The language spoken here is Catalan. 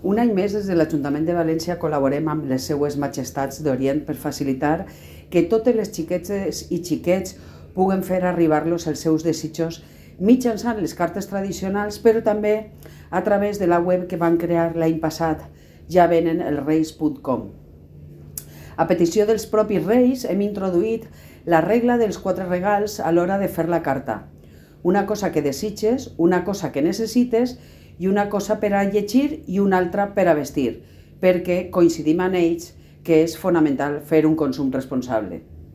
Un any més, des de l'Ajuntament de València, col·laborem amb les seues majestats d'Orient per facilitar que totes les xiquetes i xiquets puguen fer arribar-los els seus desitjos mitjançant les cartes tradicionals, però també a través de la web que van crear l'any passat, javenenelsreis.com. A petició dels propis reis hem introduït la regla dels 4 regals a l'hora de fer la carta. Una cosa que desitges, una cosa que necessites i una cosa per a llegir i una altra per a vestir, perquè coincidim amb ells que és fonamental fer un consum responsable.